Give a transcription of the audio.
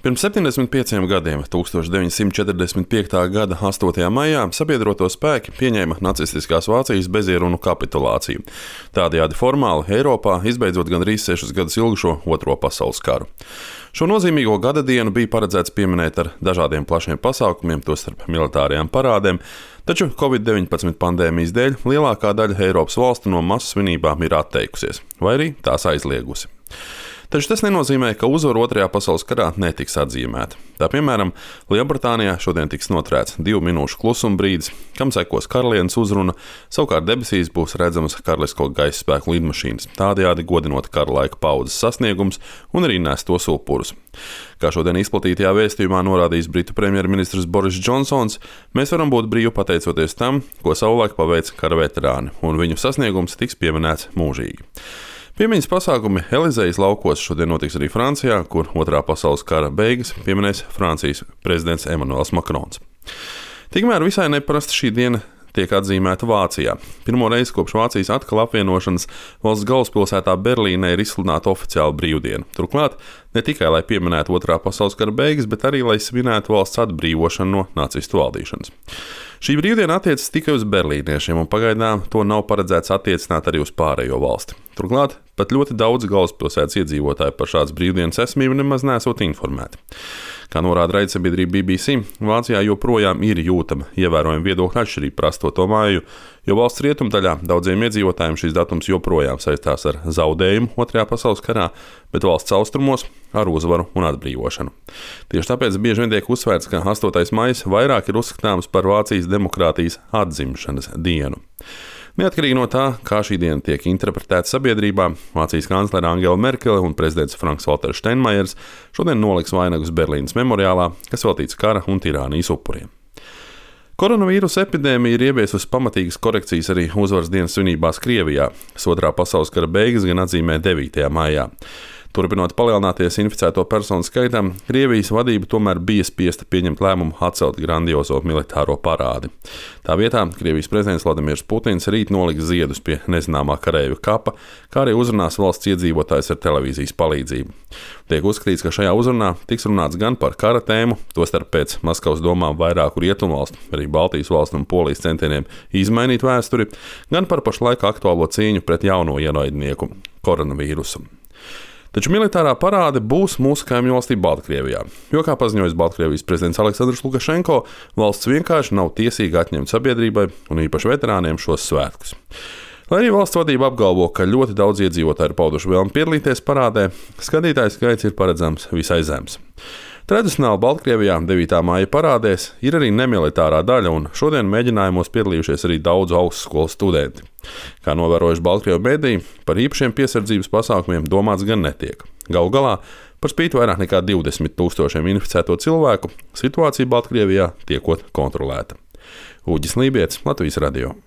Pirms 75 gadiem, 1945. gada 8. maijā, sabiedroto spēki pieņēma nacistiskās Vācijas bezierunu kapitulāciju. Tādējādi formāli Eiropā izbeidzot gandrīz 6 gadus ilgušo Otro pasaules karu. Šo nozīmīgo gada dienu bija paredzēts pieminēt ar dažādiem plašiem pasākumiem, tostarp militārajām parādēm, taču Covid-19 pandēmijas dēļ lielākā daļa Eiropas valstu no masu svinībām ir atteikusies, vai arī tās aizliegusi. Taču tas nenozīmē, ka uzvara Otrajā pasaules karā netiks atzīmēta. Tā piemēram, Lielbritānijā šodien tiks noturēts 2 minūšu klusuma brīdis, kam sekos karalienes uzruna, savukārt debesīs būs redzamas karalisko gaisa spēku lidmašīnas, tādējādi godinot kara laika paudzes sasniegums un arī nestos upurus. Kā šodien izplatītajā vēstījumā norādījis Britu premjerministrs Boris Džonsons, mēs varam būt brīvi pateicoties tam, ko savulaik paveic kara veterāni, un viņu sasniegums tiks pieminēts mūžīgi. Piemiņas pasākumi Elizejas laukos šodien notiks arī Francijā, kur Otrā pasaules kara beigas pieminēs Francijas prezidents Emmanuels Macrons. Tikmēr visai neparasti šī diena tiek atzīmēta Vācijā. Pirmo reizi kopš Vācijas atkal apvienošanas valsts galvaspilsētā Berlīnē ir izsludināta oficiāla brīvdiena. Turklāt ne tikai lai pieminētu Otrā pasaules kara beigas, bet arī lai svinētu valsts atbrīvošanu no nacistu valdīšanas. Šī brīvdiena attiecas tikai uz berlīniešiem, un pagaidām to nav paredzēts attiecināt arī uz pārējo valsti. Turklāt pat ļoti daudz galvaspilsētas iedzīvotāji par šādas brīvdienas esamību nemaz neesot informēti. Kā norāda raidsabiedrība BBC, Vācijā joprojām ir jūtama ievērojama viedokļa atšķirība par 8. māju, jo valsts rietumdaļā daudziem iedzīvotājiem šis datums joprojām saistās ar zaudējumu Otrajā pasaules karā, bet valsts austrumos ar uzvaru un atbrīvošanu. Tieši tāpēc bieži vien tiek uzsvērts, ka 8. maijs vairāk ir uzskatāms par Vācijas demokrātijas atzimšanas dienu. Neatkarīgi no tā, kā šī diena tiek interpretēta sabiedrībā, Vācijas kanclere Angela Merkele un prezidents Franks-Walters Steinmeiers šodien noliks vainagus Berlīnas memoriālā, kas veltīts kara un tirānijas upuriem. Koronavīrusa epidēmija ir ieviesusi pamatīgas korekcijas arī uzvaras dienas svinībās Krievijā. Otrā pasaules kara beigas gan atzīmē 9. maijā. Turpinot palielināties inficēto personu skaitam, Krievijas vadība tomēr bija spiesta pieņemt lēmumu atcelt grandiozo militāro parādi. Tā vietā Krievijas prezidents Vladimirs Putins rīt noliks ziedus pie nezināmā kareivja kapa, kā arī uzrunās valsts iedzīvotājus ar televīzijas palīdzību. Tiek uzskatīts, ka šajā uzrunā tiks runāts gan par kara tēmu, tostarp pēc Maskavas domām vairāku rietumvalstu, arī Baltijas valstu un Polijas centieniem izmainīt vēsturi, gan par pašlaik aktuālo cīņu pret jauno ienaidnieku – koronavīrusu. Taču militārā parāde būs mūsu kaimiņu valstī Baltkrievijā, jo, kā paziņojis Baltkrievijas prezidents Aleksandrs Lukašenko, valsts vienkārši nav tiesīga atņemt sabiedrībai un īpaši veterāniem šos svētkus. Lai arī valsts vadība apgalvo, ka ļoti daudz iedzīvotāji ir pauduši vēlmi piedalīties parādē, skatītāju skaits ir paredzams visai zems. Tradicionāli Baltkrievijā 9. māja parādēs ir arī nemilitārā daļa, un šodien mēģinājumos piedalījušies arī daudzu augstskolas studenti. Kā novērojuši Baltkrievu mediji, par īpašiem piesardzības pasākumiem domāts gan netiek. Galu galā, par spīti vairāk nekā 20 000 inficēto cilvēku, situācija Baltkrievijā tiekot kontrolēta. Uģis Lībietis, Latvijas radio.